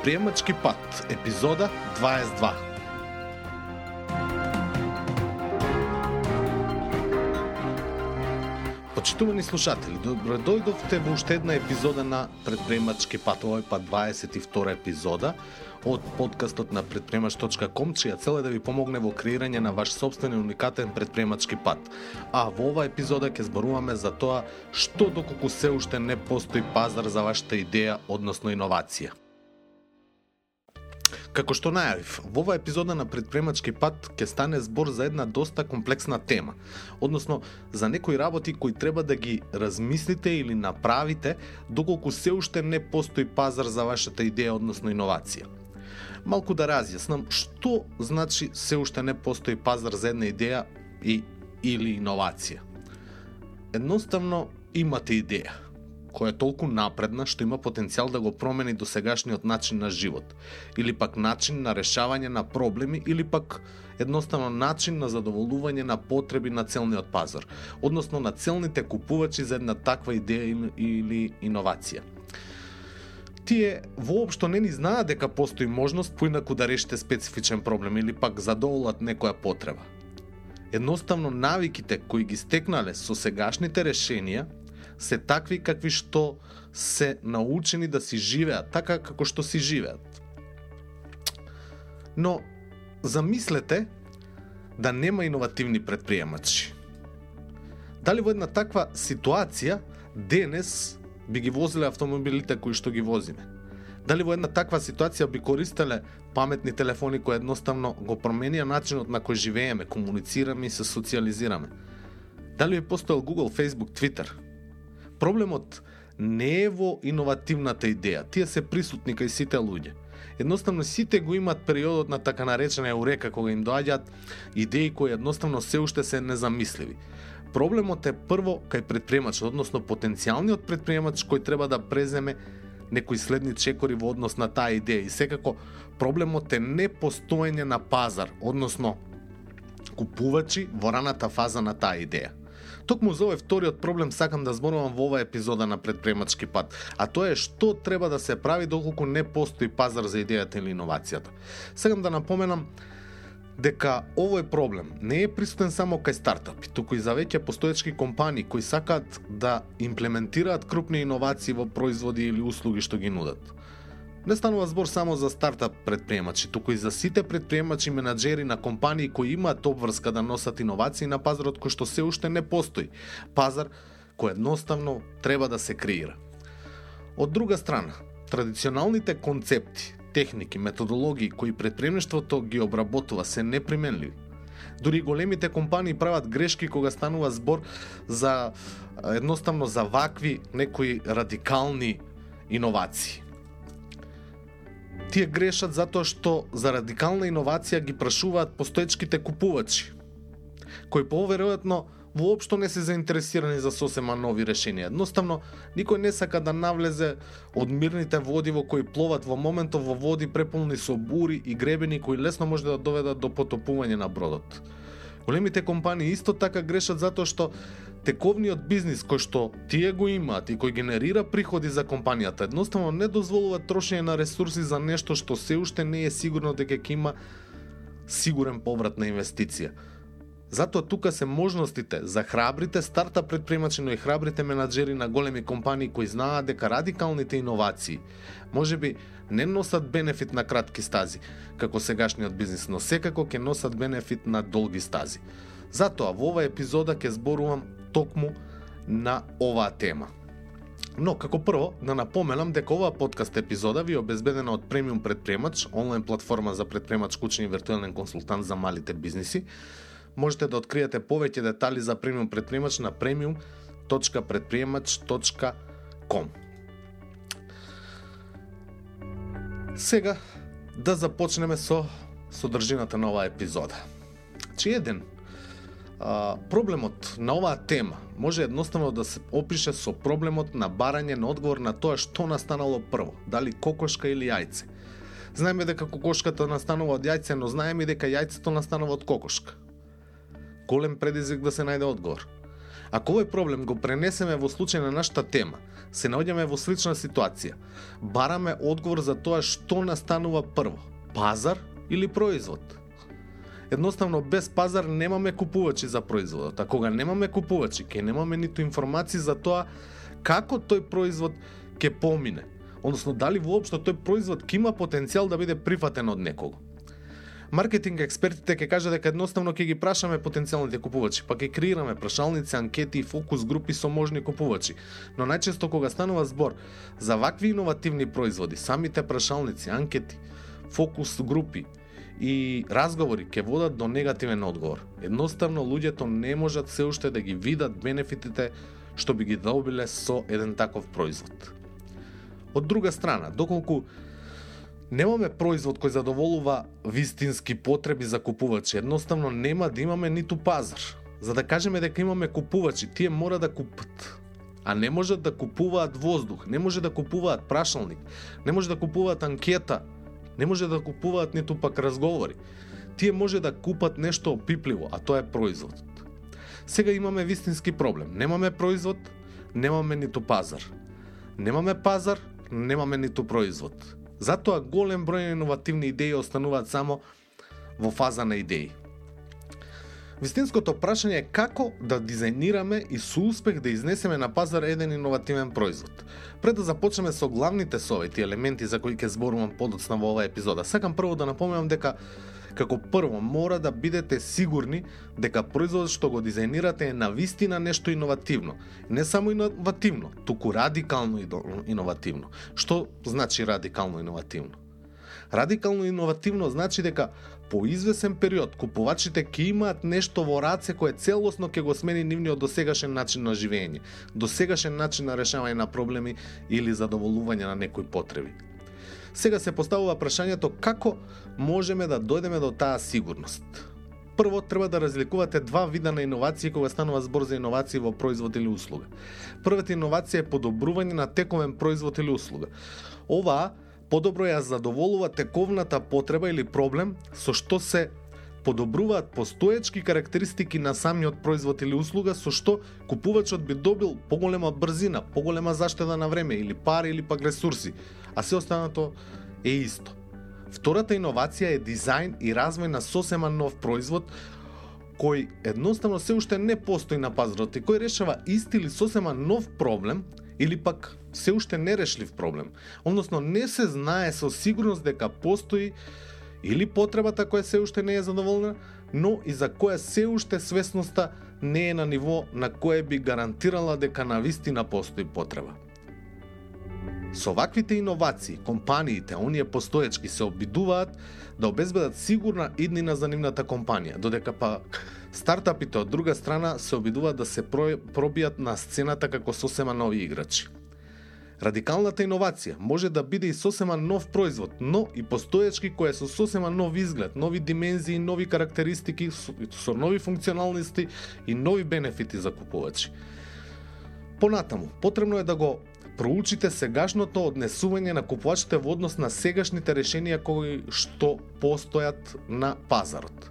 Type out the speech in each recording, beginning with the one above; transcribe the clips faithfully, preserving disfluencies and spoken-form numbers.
Предприемачки пат, епизода дваесет и два. Почитувани слушатели, добро дојдовте во уште една епизода на Предприемачки пат, овој пат дваесет и втора епизода од подкастот на предприемач точка ком, чија цел е да ви помогне во креирање на ваш сопствен и уникатен предприемачки пат. А во оваа епизода ќе зборуваме за тоа што доколку се уште не постои пазар за вашата идеја, односно иновација. Како што најавив, во оваа епизода на Предприемачки пат ќе стане збор за една доста комплексна тема, односно за некои работи кои треба да ги размислите или направите доколку се уште не постои пазар за вашата идеја, односно иновација. Малку да разјаснам што значи се уште не постои пазар за една идеја и или иновација. Едноставно имате идеја која е толку напредна што има потенцијал да го промени досегашниот начин на живот, или пак начин на решавање на проблеми, или пак едноставно начин на задоволување на потреби на целниот пазар, односно на целните купувачи за една таква идеја или иновација. Тие воопшто не ни знаат дека постои можност поинаку да решите специфичен проблем или пак задоволат некоја потреба. Едноставно навиките кои ги стекнале со сегашните решенија се такви какви што се научени да си живеат, така како што си живеат. Но замислете да нема иновативни предприемачи. Дали во една таква ситуација денес би ги возиле автомобилите кои што ги возиме? Дали во една таква ситуација би користеле паметни телефони кои едноставно го променија начинот на кој живееме, комуницираме и се социализираме? Дали би постоел Google, Facebook, Twitter? Проблемот не е во иновативната идеја, тие се присутни кај сите луѓе. Едноставно сите го имаат периодот на така наречена еурека кога им доаѓаат идеи кои едноставно се уште се незамисливи. Проблемот е прво кај предприемачот, односно потенцијалниот предприемач кој треба да преземе некои следни чекори во однос на таа идеја. И секако проблемот е непостоење на пазар, односно купувачи во раната фаза на таа идеја. Токму за овој вториот проблем сакам да зборувам во оваа епизода на Предприемачки пат, а тоа е што треба да се прави доколку не постои пазар за идејата или иновацијата. Сакам да напоменам дека овој проблем не е присутен само кај стартапи, туку и за веќе постоечки компании кои сакаат да имплементираат крупни иновации во производи или услуги што ги нудат. Не станува збор само за стартап предприемачи, туку и за сите предприемачи и менаџери на компании кои имаат обврска да носат иновации на пазарот кој што се уште не постои. Пазар кој едноставно треба да се креира. Од друга страна, традиционалните концепти, техники, методологии кои предприемништвото ги обработува се неприменливи. Дури големите компании прават грешки кога станува збор за едноставно за вакви некои радикални иновации. Тие грешат затоа што за радикална иновација ги прашуваат постоечките купувачи, кои поверојатно воопшто не се заинтересирани за сосема нови решенија. Едноставно, никој не сака да навлезе од мирните води во кои пловат во моментов во води преполни со бури и гребени кои лесно може да доведат до потопување на бродот. Големите компании исто така грешат затоа што тековниот бизнис кој што тие го имаат и кој генерира приходи за компанијата едноставно не дозволува трошење на ресурси за нешто што се уште не е сигурно дека ќе има сигурен поврат на инвестиција. Затоа тука се можностите за храбрите стартап предприемачи, но и храбрите менаџери на големи компании кои знаат дека радикалните иновации можеби не носат бенефит на кратки стази, како сегашниот бизнис, но секако ќе носат бенефит на долги стази. Затоа во оваа епизода ќе зборувам токму на оваа тема. Но, како прво, да напоменам дека оваа подкаст епизода ви е обезбедена од Премиум Предприемач, онлайн платформа за предприемач, кучен и виртуелен консултант за малите бизниси. Можете да откриете повеќе детали за Премиум Предприемач на премиум точка предприемач точка ком. Сега да започнеме со содржината на оваа епизода. Че еден а, проблемот на оваа тема може едноставно да се опише со проблемот на барање на одговор на тоа што настанало прво, дали кокошка или јајце. Знаеме дека кокошката настанува од јајце, но знаеме дека јајцето настанува од кокошка. Голем предизвик да се најде одговор. Ако овој проблем го пренесеме во случај на нашата тема, се наоѓаме во слична ситуација. Бараме одговор за тоа што настанува прво, пазар или производ. Едноставно, без пазар немаме купувачи за производот, а кога немаме купувачи, ќе немаме ниту информации за тоа како тој производ ќе помине, односно дали воопшто тој производ ќе има потенцијал да биде прифатен од некого. Маркетинг експертите ќе кажат дека едноставно ќе ги прашаме потенцијалните купувачи, па ќе креираме прашалници, анкети и фокус групи со можни купувачи. Но најчесто кога станува збор за вакви иновативни производи, самите прашалници, анкети, фокус групи и разговори ќе водат до негативен одговор. Едноставно луѓето не можат се уште да ги видат бенефитите што би ги добиле со еден таков производ. Од друга страна, доколку немаме производ кој задоволува вистински потреби за купувачи, едноставно нема да имаме ниту пазар. За да кажеме дека имаме купувачи, тие мора да купат, а не можат да купуваат воздух, не може да купуваат прашалник, не може да купуваат анкета, не може да купуваат ниту пак разговори. Тие може да купат нешто опипливо, а тоа е производот. Сега имаме вистински проблем. Немаме производ, немаме ниту пазар. Немаме пазар, немаме ниту производ. Затоа голем број на иновативни идеи остануваат само во фаза на идеи. Вистинското прашање е како да дизајнираме и со успех да изнесеме на пазар еден иновативен производ. Пред да започнеме со главните совети и елементи за кои ќе зборувам подоцна во оваа епизода, сакам прво да напоменам дека како прво мора да бидете сигурни дека производот што го дизајнирате е навистина нешто иновативно. Не само иновативно, туку радикално иновативно. Што значи радикално иновативно? Радикално иновативно значи дека по извесен период купувачите ќе имаат нешто во раце кое целосно ќе го смени нивниот досегашен начин на живење, досегашен начин на решавање на проблеми или задоволување на некои потреби. Сега се поставува прашањето како можеме да дојдеме до таа сигурност. Прво, треба да разликувате два вида на иновации кога станува збор за иновации во производ или услуга. Првата иновација е подобрување на тековен производ или услуга. Оваа подобро ја задоволува тековната потреба или проблем со што се подобруваат постоечки карактеристики на самиот производ или услуга со што купувачот би добил поголема брзина, поголема заштеда на време или пари или пак ресурси, а се останато е исто. Втората иновација е дизајн и развој на сосема нов производ кој едноставно се уште не постои на пазарот и кој решава ист или сосема нов проблем или пак се уште нерешлив проблем. Односно не се знае со сигурност дека постои или потребата која се уште не е задоволена, но и за која се уште свесноста не е на ниво на кое би гарантирала дека навистина постои потреба. Со ваквите иновации, компаниите, оние постоечки, се обидуваат да обезбедат сигурна иднина за нивната компанија, додека па стартапите од друга страна се обидуваат да се пробијат на сцената како сосема нови играчи. Радикалната иновација може да биде и сосема нов производ, но и постоечки кој е со сосема нов изглед, нови димензии, нови карактеристики, со нови функционалности и нови бенефити за купувачи. Понатаму, потребно е да го проучите сегашното однесување на купувачите во однос на сегашните решенија кои што постојат на пазарот.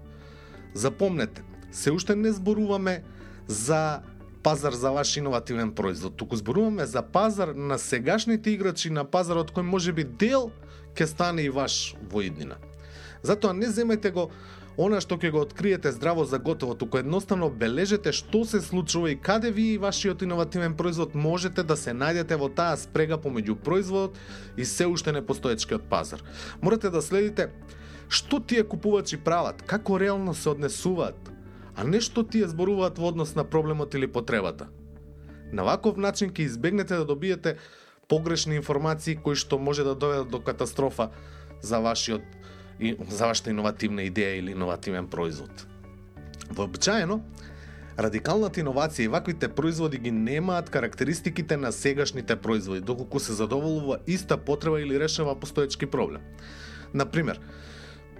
Запомнете, се уште не зборуваме за пазар за ваш иновативен производ, туку зборуваме за пазар на сегашните играчи на пазарот кој можеби дел ќе стане и ваш во иднина. Затоа не земајте го она што ќе го откриете здраво за готово, туку едноставно бележете што се случува и каде вие и вашиот иновативен производ можете да се најдете во таа спрега помеѓу производот и се уште непостоечкиот пазар. Морате да следите што тие купувачи прават, како реално се однесуваат, а не што тие зборуваат во однос на проблемот или потребата. На ваков начин ќе избегнете да добиете погрешни информации кои што може да доведат до катастрофа за вашиот за вашата иновативна идеја или иновативен производ. Вообичаено, радикалната иновација и ваквите производи ги немаат карактеристиките на сегашните производи, доколку се задоволува иста потреба или решава постоечки проблем. Например,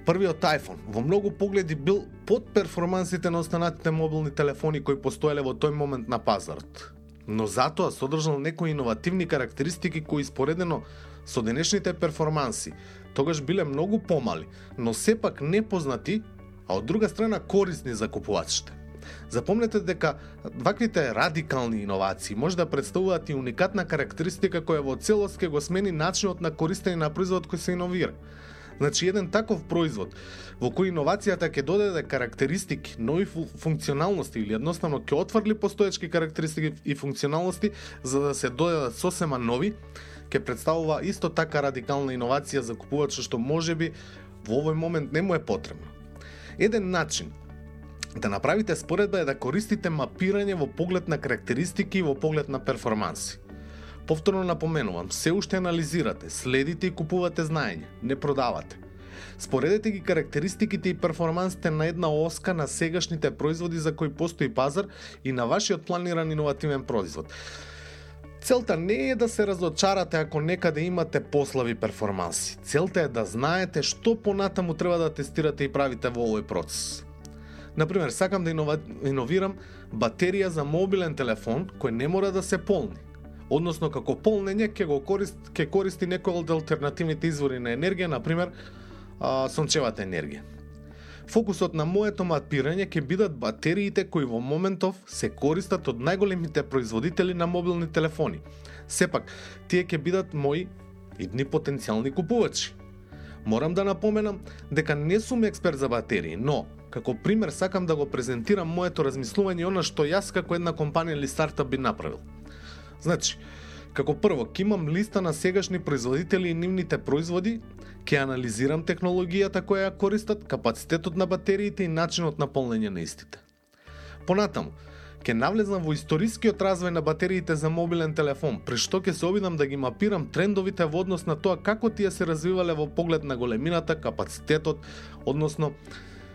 првиот iPhone во многу погледи бил под перформансите на останатите мобилни телефони кои постоеле во тој момент на пазарот. Но затоа содржал некои иновативни карактеристики кои споредено со денешните перформанси тогаш биле многу помали, но сепак непознати, а од друга страна корисни за купувачите. Запомнете дека ваквите радикални иновации може да представуваат и уникатна карактеристика која во целост ќе го смени начинот на користење на производот кој се иновира. Значи, еден таков производ во кој иновацијата ќе додаде карактеристики, нови функционалности или едноставно ќе отврли постоечки карактеристики и функционалности за да се додадат сосема нови, ќе представува исто така радикална иновација за купувачот што можеби во овој момент не му е потребно. Еден начин да направите споредба е да користите мапирање во поглед на карактеристики и во поглед на перформанси. Повторно напоменувам, се уште анализирате, следите и купувате знаење, не продавате. Споредете ги карактеристиките и перформансите на една оска на сегашните производи за кои постои пазар и на вашиот планиран иновативен производ. Целта не е да се разочарате ако некаде имате послаби перформанси. Целта е да знаете што понатаму треба да тестирате и правите во овој процес. Например, сакам да инова... иновирам батерија за мобилен телефон кој не мора да се полни. Односно, како полнење ќе го корист, ќе користи некој од алтернативните извори на енергија, например, а, сончевата енергија. Фокусот на моето мапирање ќе бидат батериите кои во моментов се користат од најголемите производители на мобилни телефони. Сепак, тие ќе бидат мои идни потенцијални купувачи. Морам да напоменам дека не сум експерт за батерии, но како пример сакам да го презентирам моето размислување и она што јас како една компанија или стартап би направил. Значи, како прво, ќе имам листа на сегашни производители и нивните производи, ќе анализирам технологијата која ја користат, капацитетот на батериите и начинот на полнење на истите. Понатаму, ќе навлезам во историскиот развој на батериите за мобилен телефон, при што ќе се обидам да ги мапирам трендовите во однос на тоа како тие се развивале во поглед на големината, капацитетот, односно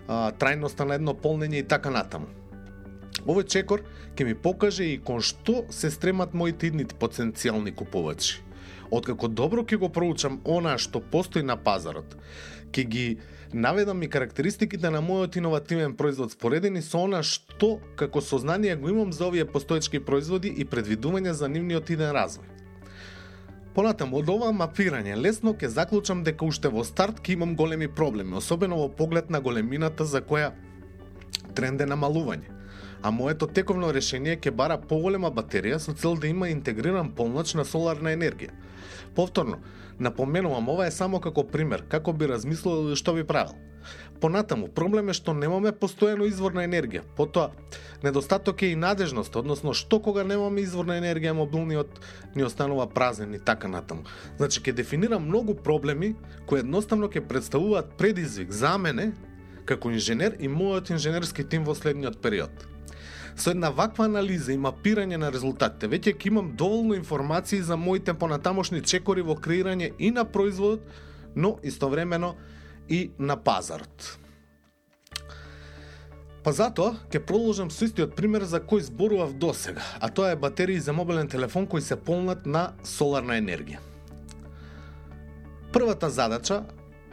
а, трајноста на едно полнење и така натаму. Овој чекор ќе ми покаже и кон што се стремат моите идни потенцијални купувачи. Откако добро ќе го проучам она што постои на пазарот, ќе ги наведам и карактеристиките на мојот иновативен производ споредени со она што како сознание го имам за овие постоечки производи и предвидување за нивниот иден развој. Понатаму, од ова мапирање лесно ќе заклучам дека уште во старт ќе имам големи проблеми, особено во поглед на големината за која тренд е намалување. А моето тековно решение ќе бара поголема батерија со цел да има интегриран полноч на соларна енергија. Повторно, напоменувам, ова е само како пример, како би размислил или што би правил. Понатаму, проблем е што немаме постојано извор на енергија. Потоа, недостаток е и надежност, односно што кога немаме извор на енергија, мобилниот ни останува празен и така натаму. Значи, ќе дефинирам многу проблеми кои едноставно ќе представуваат предизвик за мене како инженер и мојот инженерски тим во следниот период. Со една ваква анализа и мапирање на резултатите, веќе ќе имам доволно информации за моите понатамошни чекори во креирање и на производот, но истовремено и на пазарот. Па затоа ќе продолжам со истиот пример за кој зборував досега, а тоа е батерии за мобилен телефон кои се полнат на соларна енергија. Првата задача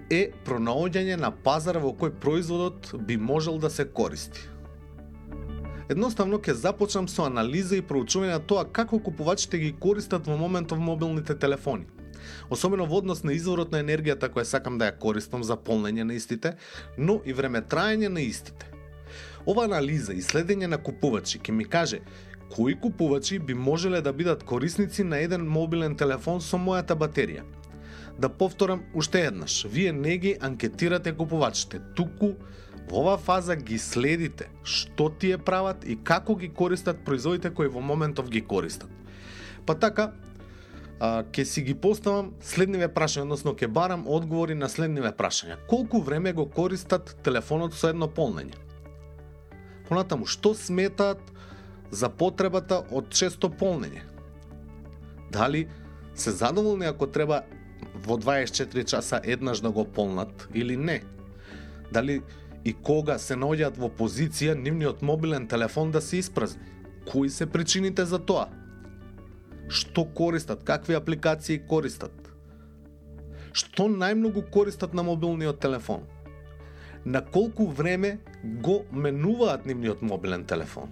е пронаоѓање на пазар во кој производот би можел да се користи. Едноставно ќе започнам со анализа и проучување на тоа како купувачите ги користат во моментов мобилните телефони. Особено во однос на изворот на енергијата која сакам да ја користам за полнење на истите, но и времетраење на истите. Ова анализа и следење на купувачи ќе ми каже кои купувачи би можеле да бидат корисници на еден мобилен телефон со мојата батерија. Да повторам уште еднаш, вие не ги анкетирате купувачите, туку во оваа фаза ги следите што тие прават и како ги користат производите кои во моментов ги користат. Па така, а, ќе си ги поставам следниве прашања, односно ќе барам одговори на следниве прашања. Колку време го користат телефонот со едно полнење? Понатаму, што сметаат за потребата од често полнење? Дали се задоволни ако треба во дваесет и четири часа еднаш да го полнат или не? Дали и кога се наоѓаат во позиција нивниот мобилен телефон да се испразни? Кои се причините за тоа? Што користат? Какви апликации користат? Што најмногу користат на мобилниот телефон? На колку време го менуваат нивниот мобилен телефон?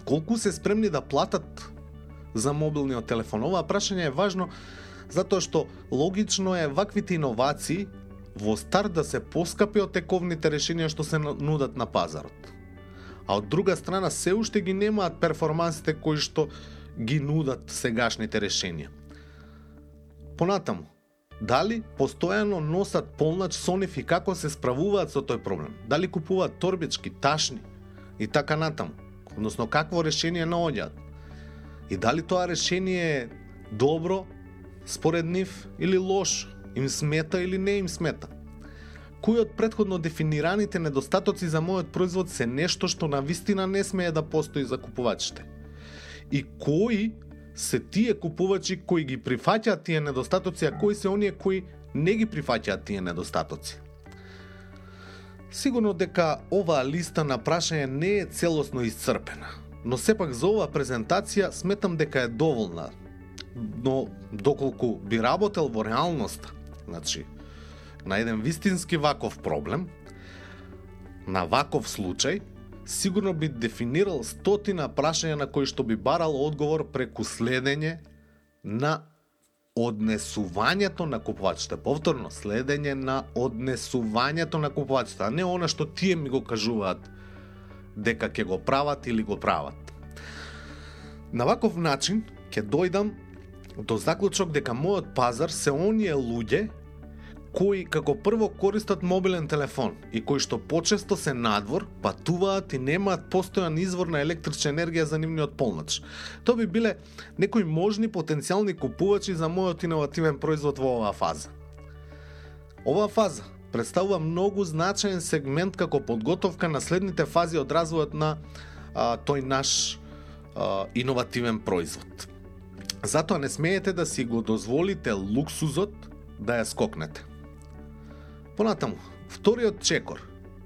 Колку се спремни да платат за мобилниот телефон? Ова прашање е важно затоа што логично е ваквите иновации во старт да се поскапи од тековните решенија што се нудат на пазарот. а од друга страна се уште ги немаат перформансите кои што ги нудат сегашните решенија. Понатаму, дали постојано носат полнач со нив и како се справуваат со тој проблем? Дали купуваат торбички, ташни и така натаму? Односно, какво решение наоѓаат? И дали тоа решение е добро според нив или лошо? Им смета или не им смета? Кои од претходно дефинираните недостатоци за мојот производ се нешто што навистина не смее да постои за купувачите? И кои се тие купувачи кои ги прифаќаат тие недостатоци, а кои се оние кои не ги прифаќаат тие недостатоци? Сигурно дека оваа листа на прашање не е целосно исцрпена, но сепак за оваа презентација сметам дека е доволна. Но доколку би работел во реалноста, значи на еден вистински ваков проблем, на ваков случај, сигурно би дефинирал стотина прашања на кои што би барал одговор преку следење на однесувањето на купувачите. Повторно, следење на однесувањето на купувачите, а не она што тие ми го кажуваат дека ќе го прават или го прават. На ваков начин ќе дојдам до заклучок дека мојот пазар се оние луѓе кои како прво користат мобилен телефон и кои што почесто се надвор, патуваат и немаат постојан извор на електрична енергија за нивниот полнач. Тоа би биле некои можни потенцијални купувачи за мојот иновативен производ во оваа фаза. Оваа фаза представува многу значаен сегмент како подготовка на следните фази од развојот на а, тој наш а, иновативен производ. Затоа не смеете да си го дозволите луксузот да ја скокнете. Понатаму, вториот чекор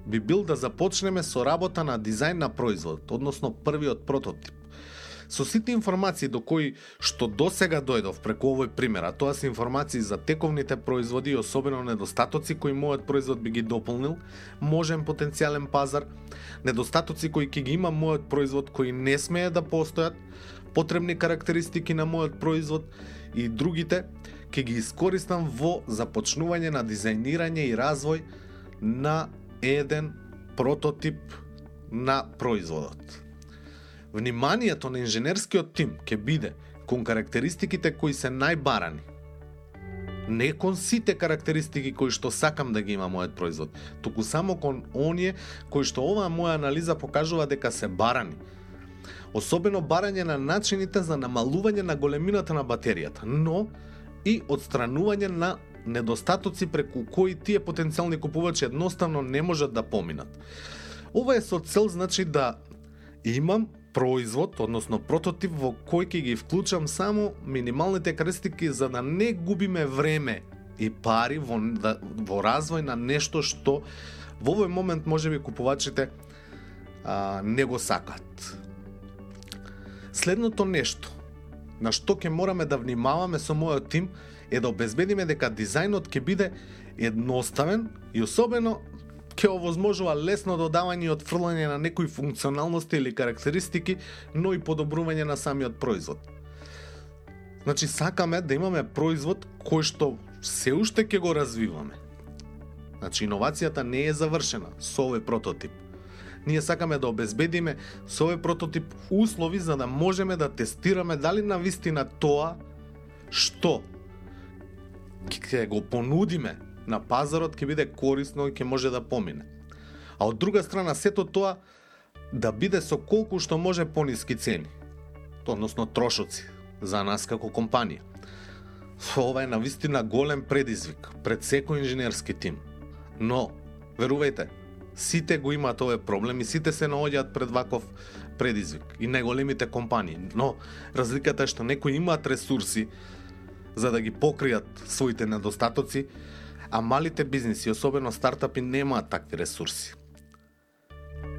би бил да започнеме со работа на дизајн на производот, односно првиот прототип. Со сите информации до кои што досега дојдов преку овој пример, а тоа се информации за тековните производи и особено недостатоци кои мојот производ би ги дополнил, можен потенцијален пазар, недостатоци кои ќе ги има мојот производ кои не смее да постојат, потребни карактеристики на мојот производ и другите, ќе ги искористам во започнување на дизајнирање и развој на еден прототип на производот. Вниманието на инженерскиот тим ќе биде кон карактеристиките кои се најбарани. Не кон сите карактеристики кои што сакам да ги има мојот производ, туку само кон оние кои што оваа моја анализа покажува дека се барани. Особено барање на начините за намалување на големината на батеријата, но и отстранување на недостатоци преку кои тие потенцијални купувачи едноставно не можат да поминат. Ова е со цел, значи, да имам производ, односно прототип во кој ќе ги вклучам само минималните карактеристики за да не губиме време и пари во, да, во развој на нешто што во овој момент можеби купувачите а, не го сакат. Следното нешто на што ќе мораме да внимаваме со мојот тим е да обезбедиме дека дизајнот ќе биде едноставен и особено ќе овозможува лесно додавање и отфрлање на некои функционалности или карактеристики, но и подобрување на самиот производ. Значи, сакаме да имаме производ кој што се уште ќе го развиваме. Значи, иновацијата не е завршена со овој прототип. Ние сакаме да обезбедиме со овој прототип услови за да можеме да тестираме дали навистина тоа што ќе го понудиме на пазарот ќе биде корисно и ќе може да помине. А од друга страна сето тоа да биде со колку што може пониски цени, односно трошоци за нас како компанија. Ова е навистина голем предизвик пред секој инженерски тим. Но, верувајте, сите го имаат овој проблем и сите се наоѓаат пред ваков предизвик и најголемите компании. Но разликата е што некои имаат ресурси за да ги покријат своите недостатоци, а малите бизниси, особено стартапи, немаат такви ресурси.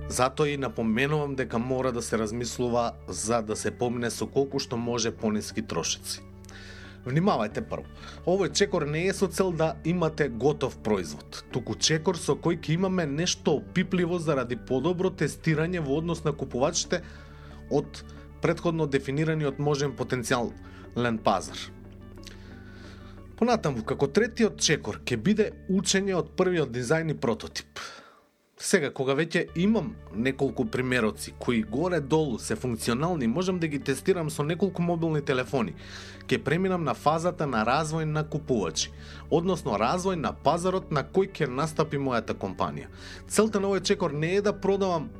Затоа и напоменувам дека мора да се размислува за да се помине со колку што може пониски трошици. Внимавајте прво. Овој чекор не е со цел да имате готов производ, туку чекор со кој ќе имаме нешто опипливо заради подобро тестирање во однос на купувачите од претходно дефинираниот можен потенцијален пазар. Понатаму, како третиот чекор ќе биде учење од првиот дизајн и прототип. Сега, кога веќе имам неколку примероци кои горе-долу се функционални, можам да ги тестирам со неколку мобилни телефони. Ке преминам на фазата на развој на купувачи, односно развој на пазарот на кој ќе настапи мојата компанија. Целта на овој чекор не е да продавам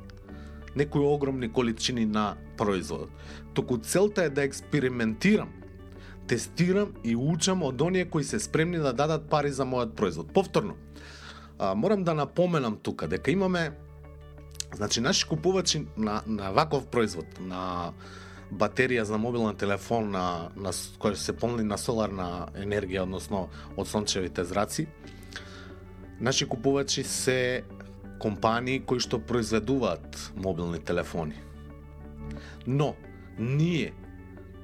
некои огромни количини на производот, туку целта е да експериментирам, тестирам и учам од оние кои се спремни да дадат пари за мојот производ. Повторно, А, морам да напоменам тука дека имаме, значи, наши купувачи на, на ваков производ, на батерија за мобилен телефон на, на, која се полни на соларна енергија, односно од сончевите зраци, наши купувачи се компании кои што произведуваат мобилни телефони. Но, ние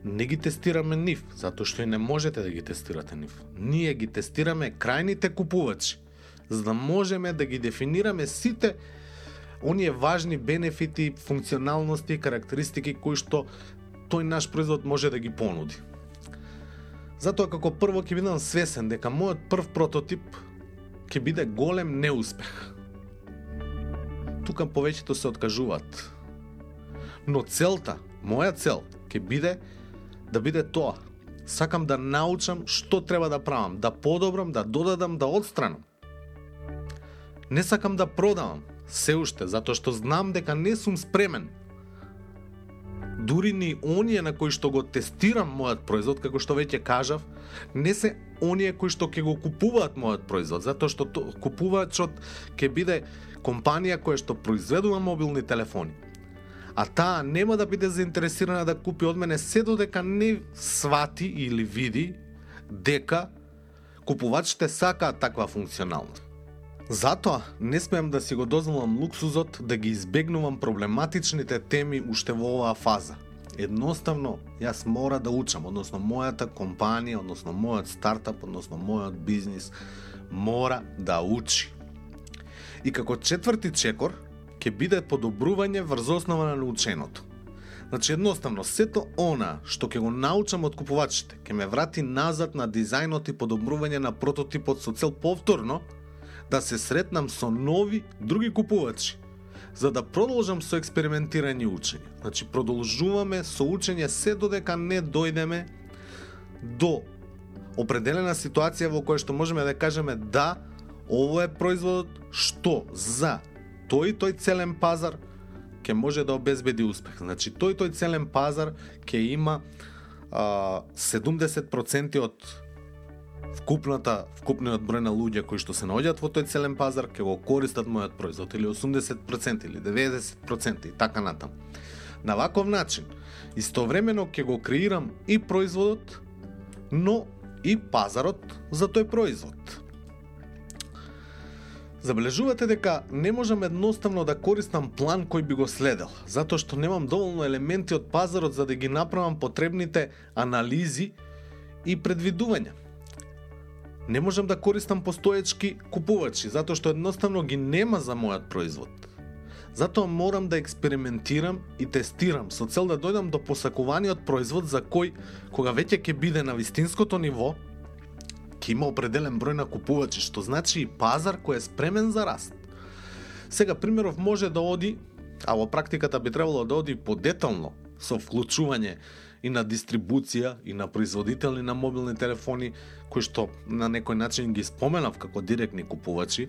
не ги тестираме нив, затоа што и не можете да ги тестирате нив. Ние ги тестираме крајните купувачи, за да можеме да ги дефинираме сите оние важни бенефити, функционалности и карактеристики кои што тој наш производ може да ги понуди. Затоа како прво ќе бидам свесен дека мојот прв прототип ќе биде голем неуспех. Тука повеќето се откажуваат. Но целта, моја цел, ќе биде да биде тоа. Сакам да научам што треба да правам, да подобрам, да додадам, да отстранам. Не сакам да продавам, се уште, затоа што знам дека не сум спремен. Дури ни оние на кои што го тестирам мојот производ, како што веќе кажав, не се оние кои што ќе го купуваат мојот производ, затоа што купувачот ќе биде компанија која што произведува мобилни телефони. А таа нема да биде заинтересирана да купи од мене се додека не свати или види дека купувачите сакаат таква функционалност. Затоа не смеам да си го дозволам луксузот да ги избегнувам проблематичните теми уште во оваа фаза. Едноставно, јас мора да учам, односно мојата компанија, односно мојот стартап, односно мојот бизнис мора да учи. И како четврти чекор ќе биде подобрување врз основа на наученото. Значи, едноставно, сето она што ќе го научам од купувачите, ќе ме врати назад на дизајнот и подобрување на прототипот со цел повторно да се сретнам со нови, други купувачи, за да продолжам со експериментирање и учење. Значи, продолжуваме со учење се додека не дојдеме до определена ситуација во која што можеме да кажеме да, ово е производот што за тој тој целен пазар ќе може да обезбеди успех. Значи, тој тој целен пазар ќе има а, седумдесет проценти од вкупната вкупниот број на луѓе кои што се наоѓаат во тој целен пазар ќе го користат мојот производ, или осумдесет проценти или деветдесет проценти и така натаму. На ваков начин истовремено ќе го креирам и производот, но и пазарот за тој производ. Забележувате дека не можам едноставно да користам план кој би го следел, затоа што немам доволно елементи од пазарот за да ги направам потребните анализи и предвидувања. Не можам да користам постоечки купувачи, затоа што едноставно ги нема за мојот производ. Затоа морам да експериментирам и тестирам со цел да дојдам до посакуваниот производ за кој, кога веќе ќе биде на вистинското ниво, ќе има определен број на купувачи, што значи и пазар кој е спремен за раст. Сега, примеров може да оди, а во практиката би требало да оди подетално, со вклучување и на дистрибуција, и на производители на мобилни телефони, кои што на некој начин ги споменав како директни купувачи,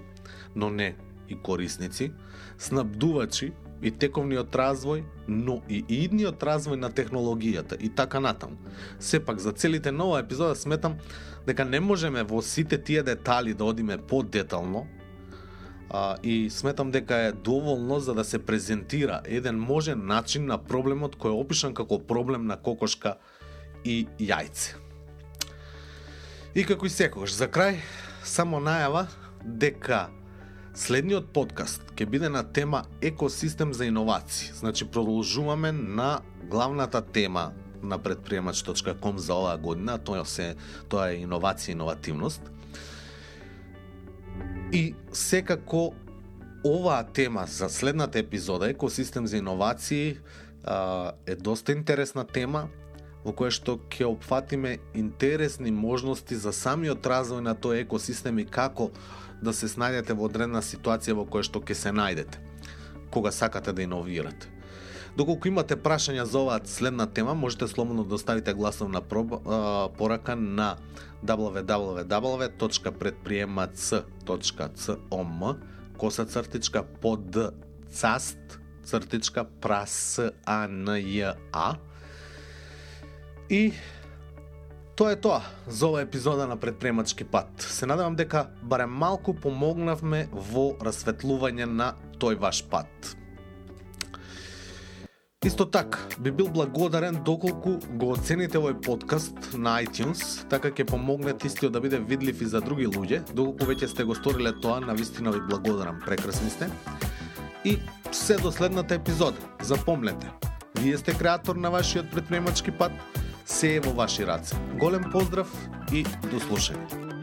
но не и корисници, снабдувачи и тековниот развој, но и идниот развој на технологијата и така натаму. Сепак, за целите на оваа епизода сметам дека не можеме во сите тие детали да одиме подетално, а, и сметам дека е доволно за да се презентира еден можен начин на проблемот кој е опишан како проблем на кокошка и јајце. И како и секогаш, за крај, само најава дека следниот подкаст ќе биде на тема екосистем за иновации. Значи, продолжуваме на главната тема на предприемач точка ком за оваа година, тоа се тоа е иновација и иновативност. И секако оваа тема за следната епизода, екосистем за иновации, е доста интересна тема, во која што ќе опфатиме интересни можности за самиот развој на тој екосистем и како да се снајдете во одредна ситуација во која што ќе се најдете кога сакате да иновирате. Доколку имате прашања за оваа следна тема, можете слободно да оставите гласовна порака на дабл ю дабл ю дабл ю точка предприемац точка ком коса цртичка под цаст цртичка прасанја. И тоа е тоа за оваа епизода на Предприемачки пат. Се надевам дека барем малку помогнавме во расветлување на тој ваш пат. Исто така, би бил благодарен доколку го оцените овој подкаст на iTunes, така ќе помогнете истиот да биде видлив и за други луѓе. Доколку веќе сте го сториле тоа, навистина ви благодарам, прекрасни сте. И се до следната епизода. Запомнете, вие сте креатор на вашиот предприемачки пат, се е во ваши раце. Голем поздрав и до слушање.